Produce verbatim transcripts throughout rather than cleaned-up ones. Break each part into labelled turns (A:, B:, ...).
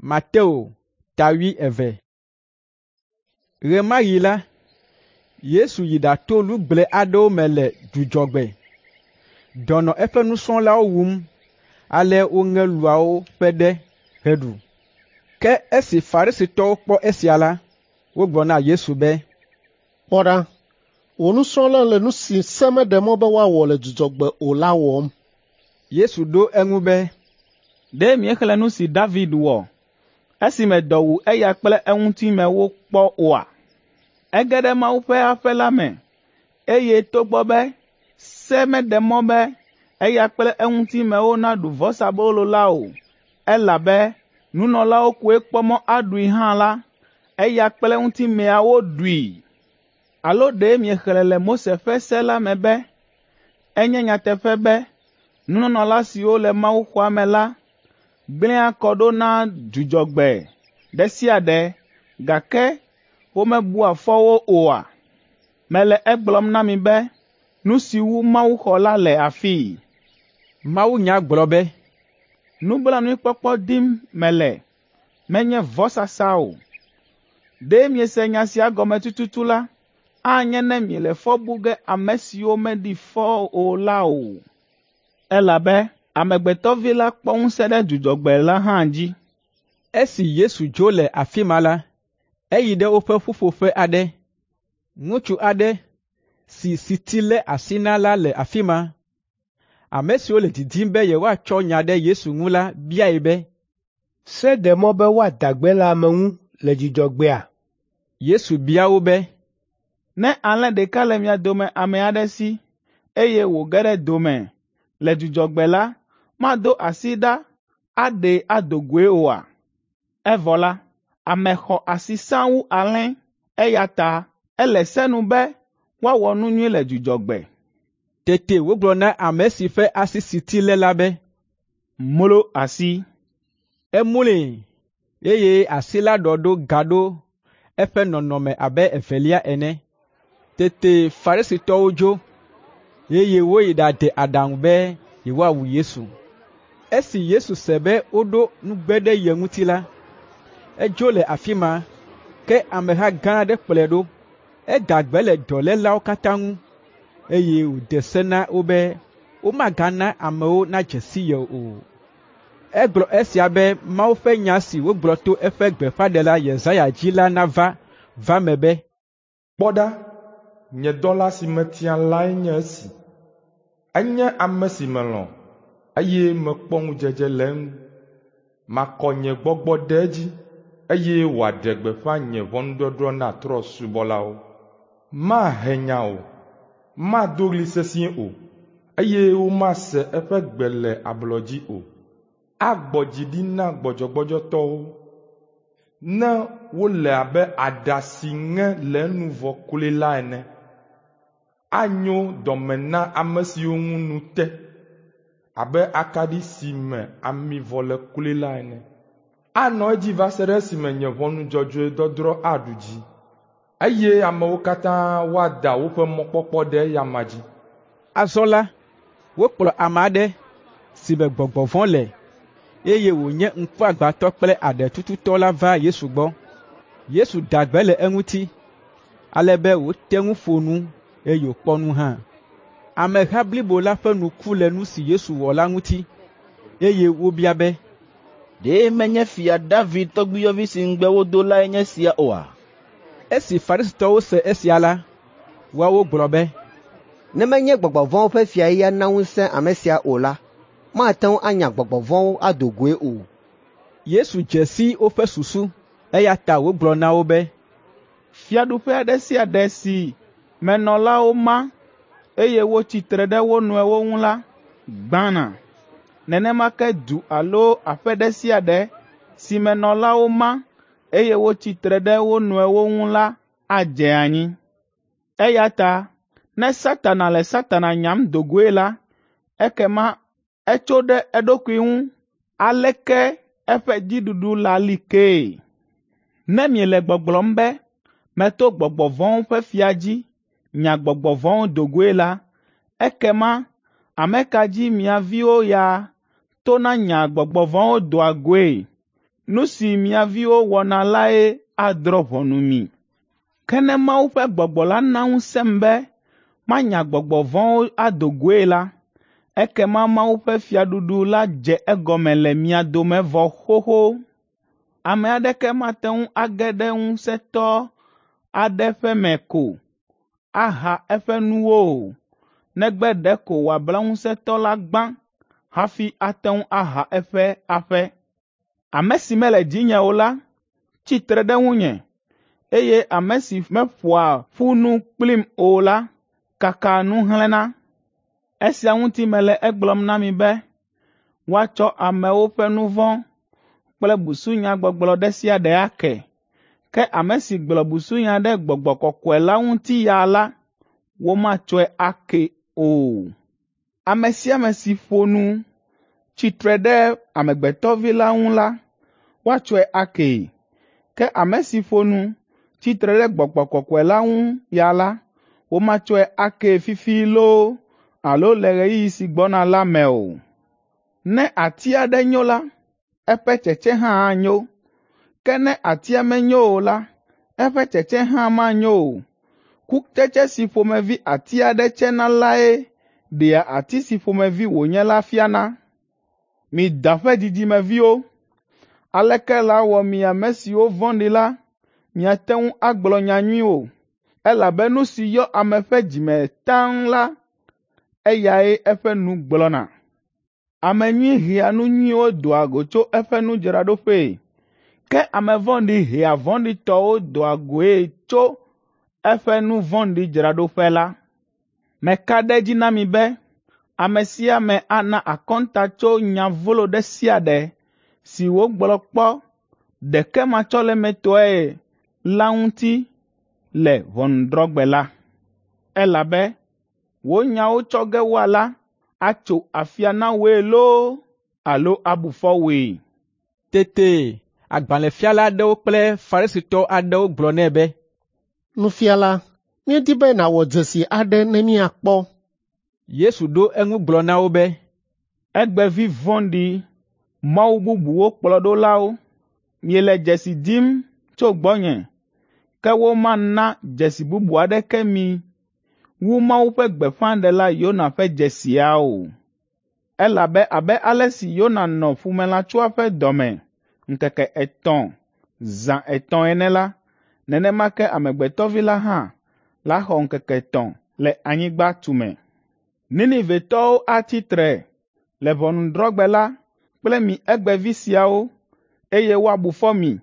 A: Mateo ta wuieve. Ɣe ma ɣi la, Yesu yi ɖato lugble aɖewo me le Dzudzɔgbe. Dɔ nɔ eƒe nusrɔ̃lawo wum ale woŋe luawo ƒe ɖe heɖu. Ke esi Farisitɔwo kpɔ esia la, wogblɔ na Yesu be,
B: “Kpɔ ɖa, wò nusrɔ̃lawo le nu si se meɖe mɔ be woawɔ le Dzudzɔgbe o la wɔm.”
A: Yesu ɖo eŋu be,
C: “Ɖe miexlẽ nu si David wɔ esime dɔ wu eya kple eŋutimewo kpɔ oa? Ege ɖe Mawu ƒe aƒe la me, eye togbɔ be se meɖe mɔ be eya kple eŋutimewo naɖu vɔsabolo la o, elabe nunɔlawo koe kpɔ mɔ aɖui hã la, eya kple eŋutimeawo ɖui. Alo ɖe miexlẽ le Mose ƒe se la me be enye nyateƒe be nunɔla siwo le mawuxɔa me la gblẽa kɔ ɖo na Dzudzɔgbe ɖe sia ɖe, gake womebua fɔ wo oa? Mele egblɔm na mi be nu si wu mawuxɔ la le afii.
A: Mawunya gblɔ be,
C: “Nublanuikpɔkpɔ dim mele, menye vɔsasa o.” Ɖe miese nya sia gɔme tututu la, anye ne miele fɔ bu ge ame siwo meɖi fɔ o la o. Elabe Amegbetɔ Vi la kpɔ ŋusẽ ɖe Dzudzɔgbe la hã dzi.
A: Esi Yesu dzo le afi ma la, eyi ɖe woƒe ƒuƒoƒe aɖe. Ŋutsu aɖe si siti lé asi na la le afi ma. Ame siwo le didim be yewoatsɔ nya ɖe Yesu ŋu la biae be,
D: “Se ɖe mɔ be woada gbe le ame ŋu le Dzudzɔgbea?”
A: Yesu bia wo be,
C: “Ne alẽ ɖeka le mia dome ame aɖe si, eye wòge ɖe do me le Dzudzɔgbe la, mado asi ɖa aɖee ado goe oa? Evɔ la, ame xɔ asi sãa wu alẽ, eya ta ele se nu be woawɔ nu nyui le Dzudzɔgbe.”
A: Tete wògblɔ na ame si ƒe asi siti lé la be,
C: “Mlo asi.”
A: Emloe, eye asi la ɖɔ ɖo gaɖo eƒe nɔnɔme abe evelia ene. Tete Farisitɔwo dzo, eye woyi ɖade aɖaŋu be yewoawu Yesu. Esi Yesu se be woɖo nugbe ɖe ye ŋuti la, edzo le afi ma, ke ameha gã aɖe kplɔe ɖo. Eda gbe le dɔlélawo katã ŋu, eye wòde se na wo be womagana amewo nadze si ye o. Egblɔ esia be Mawu ƒe nya si wògblɔ to eƒe gbeƒãɖela Yesaya dzi la nava va eme be,
E: “Kpɔ ɖa, nye dɔla si metia lae nye esi. Enye ame si melɔ̃, eye mekpɔ ŋudzedze le eŋu. Makɔ nye gbɔgbɔ ɖe edzi, eye wòaɖe gbeƒã nye ʋɔnudɔdrɔ̃ na trɔ̃subɔlawo. Mahe nya o, mado ɣli sesĩe o, eye womase eƒe gbe le ablɔ dzi o. Agbɔ dzi ɖi na gbɔdzɔgbɔdzɔtɔwo, ne wole abe aɖa si ŋe le enu vɔ kloe la ene. Anyo dɔme na ame siwo ŋu nu te abe akaɖi si me ami vɔ le kloe la ene. Anɔ edzi va se ɖe esime nye ʋɔnu dzɔdzɔe dɔdrɔ̃ aɖu dzi, eye amewo katã woada woƒe mɔkpɔkpɔ ɖe eya amea dzi.”
A: Azɔ la, wokplɔ ame aɖe si me gbɔgbɔ vɔ̃ le, eye wònye ŋkuagbãtɔ kple aɖetututɔ la va Yesu gbɔ. Yesu da gbe le eŋuti, ale be wòte ŋu ƒo nu, eye wòkpɔ nu hã. Ameha blibo la ƒe nu ku le nu si Yesu wɔ la ŋuti, eye wobia be,
F: “Ɖe menye Fia David tɔgbuiyɔvi si ŋugbe wodo lae nye esia oa?”
A: Esi Farisitɔwo se esia la, woawo gblɔ be,
G: “Ne menye gbɔgbɔ vɔ̃wo ƒe fiae ya na ŋusẽ ame sia o la, mate ŋu anya gbɔgbɔ vɔ̃wo ado goe o.”
A: Yesu dze si woƒe susu, eya ta wògblɔ na wo be,
C: “Fiaɖuƒe ɖe sia ɖe si me nɔlawo ma, eye wotsi tre ɖe wo nɔewo ŋu la, gbãna. Nenema ke du alo aƒe ɖe sia ɖe si me nɔlawo ma, eye wotsi tre ɖe wo nɔewo ŋu la adze anyi. Eya ta ne Satana le Satana nyam do goe la, ekema etso ɖe eɖokui ŋu aleke eƒe dziɖuɖu la li kee? Ne miele gbɔgblɔm be meto gbɔgbɔ vɔ̃wo ƒe fia dzi nya gbɔgbɔ vɔ̃wo do goe la, ekema ame ka dzi mia viwo ya tona nyaa gbɔgbɔ vɔ̃wo doa goe? Nu si mia viwo wɔna lae adrɔ̃ ʋɔnu mi. Ke ne Mawu ƒe Gbɔgbɔ la na ŋusẽm be manya gbɔgbɔ vɔ̃wo ado goe la, ekema Mawu ƒe fiaɖuɖu la dze egɔme le mia dome vɔ xoxo. Ame aɖeke mate ŋu age ɖe ŋusẽtɔ aɖe ƒe me ko aha eƒe nuwo o, negbe ɖeko wòabla ŋusẽtɔ la gbã hafi ate ŋu aha eƒe aƒe. Ame si mele dzinye o la tsi tre ɖe ŋunye, eye ame si meƒoa ƒu nu kplim o la kakaa nu hlẽna. Esia ŋuti mele egblɔm na mi be woatsɔ amewo ƒe nu vɔ̃ kple busunyagbɔgblɔ ɖe sia ɖe ake. Ke ame si gblɔ busunya ɖe Gbɔgbɔ Kɔkɔe la ŋuti ya la, womatsɔe ake o. Ame sia ame si ƒo nu tsi tre ɖe Amegbetɔvi la ŋu la, woatsɔe akee. Ke ame si ƒo nu tsi tre ɖe Gbɔgbɔ Kɔkɔe la ŋu ya la, womatsɔe akee fifi loo alo le ɣeyiɣi si gbɔna la me o. Ne ati aɖe nyo la, eƒe tsetse hã anyo. Ke ne atia menyo o la, eƒe tsetse hã manyo o. Kutsetse si ƒomevi ati aɖe tsena lae ɖea ati si ƒomevi wònye la fiana. Mi da ƒe dzidzimeviwo, aleke lawɔ mi ame siwo vɔ̃ɖi la miate ŋu agblɔ nya nyuiwo? Elabe nu si yɔ ame ƒe dzime taŋ la, eyae eƒe nu gblɔna. Ame nyui hea nu nyuiwo doa go tso eƒe nudzraɖoƒee, ke ame vɔ̃ɖi hea vɔ̃ɖitɔwo doa goe tso eƒe nu vɔ̃ɖi dzraɖoƒe la. Meka ɖe edzi na mi be ame sia ame ana akɔnta tso nya vlo ɖe sia ɖe si wògblɔ kpɔ ɖekematsɔlemetɔe la ŋuti le ʋɔnudrɔ̃gbe la. Elabe wò nyawo tsɔ ge woala atso afia na wòe loo alo abu fɔ wòe.
A: Tete agbalẽfiala aɖewo kple Farisitɔ aɖewo gblɔ nɛ be,
B: Nufiala, míedi be nàwɔ dzesi aɖe ne míakpɔ.
A: Yesu ɖo eŋu gblɔ na wo be,
C: Egbevi vɔ̃ɖi, mawu bubuwo kplɔɖolawo, miele dzesi dim tso gbɔnye, ke womana dzesi bubu aɖeke mi wu Mawu ƒe gbeƒãɖela Yona ƒe dzesia o. Elabe abe ale si Yona nɔ ƒumelãtsoa ƒe dɔme ŋkeke etɔ̃, zã etɔ̃ ene la, nenema ke Amegbetɔvi la hã laxɔ ŋkeke etɔ̃ le anyigba tume. Ninivetɔwo atsi tre le ʋɔnudrɔ̃gbe la kple mi egbevi siawo, eye woabu fɔ mi,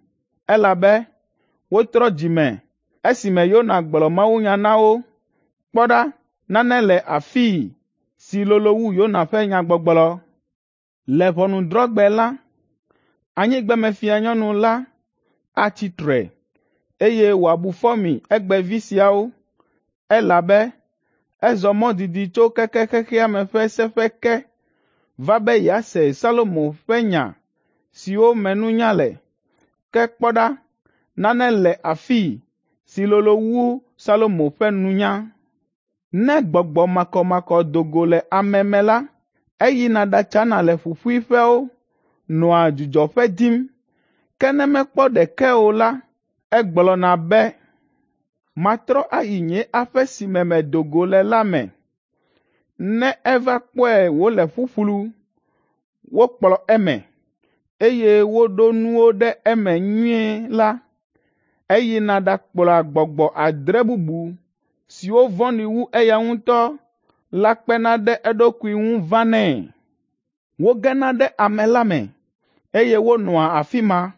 C: elabe wotrɔ dzime esime Yona gblɔ mawunya na wo. Kpɔ ɖa, nane le afii si lolo wu Yona ƒe nyagbɔgblɔ. Le ʋɔnudrɔ̃gbe la, anyigbamefianyɔnu la atsi tre, eye wòabu fɔ mi egbevi siawo, elabe ezɔ mɔ didi tso keke xexea me ƒe seƒe ke va be yease Salomo ƒe nya siwo me nunya le. Ke kpɔ ɖa, nane le afii si lolo wu Salomo ƒe nunya. Ne gbɔgbɔ makɔmakɔ do go le ame me la, eyina ɖatsana le ƒuƒuiƒewo, nɔa dzudzɔƒe dim. Ke ne mekpɔ ɖeke o la, egblɔna be, ‘Matrɔ ayi nye aƒe si me medo go le la me.’ Ne eva kpɔe wòle ƒuƒlu, wokplɔ eme, eye woɖo nuwo ɖe eme nyuie la, eyina ɖakplɔa gbɔgbɔ adre bubu siwo vɔ̃ɖi wu eya ŋutɔ la kpena ɖe eɖokui ŋu vanɛ. Wogena ɖe ame la me, eye wonɔa afi ma.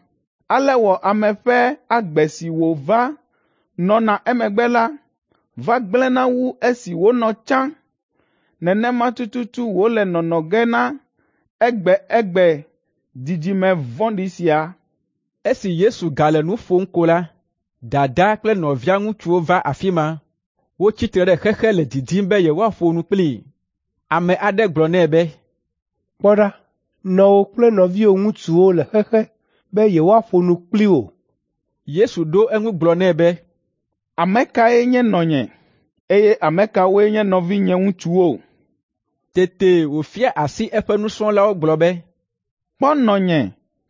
C: Ale wɔ ame ƒe agbe si wòva nɔna emegbe la va gblẽna wu esi wònɔ tsã. Nenema tututu wòle nɔnɔ ge na egbe egbe dzidzime vɔ̃ɖi sia.
A: Esi Yesu gale nu ƒom ko la, dadaa kple nɔvia ŋutsuwo va afi ma. Wotsi tre ɖe xexe le didim be yewoaƒo nu kplii. Ame aɖe gblɔ nɛ be,
D: Kpɔ ɖa, nɔwò kple nɔviwò ŋutsuwo le xexe be yewoaƒo nu kpli wò.
A: Yesu ɖo eŋu gblɔ nɛ be,
C: Ame kae nye nɔnye, eye ame kawoe nye nɔvinye ŋutsuwo?
A: Tete wòfia asi eƒe nusrɔ̃lawo gblɔ be,
C: Kpɔ nɔnye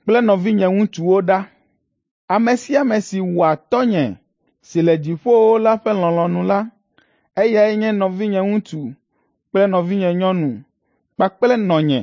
C: kple nɔvinye ŋutsuwo ɖa. Ame sia ame si wɔa Tɔ́nye si le dziƒowo la ƒe lɔlɔ̃nu la, eyae nye nɔvinye ŋutsu kple nɔvinye nyɔnu kpakple nɔnye.”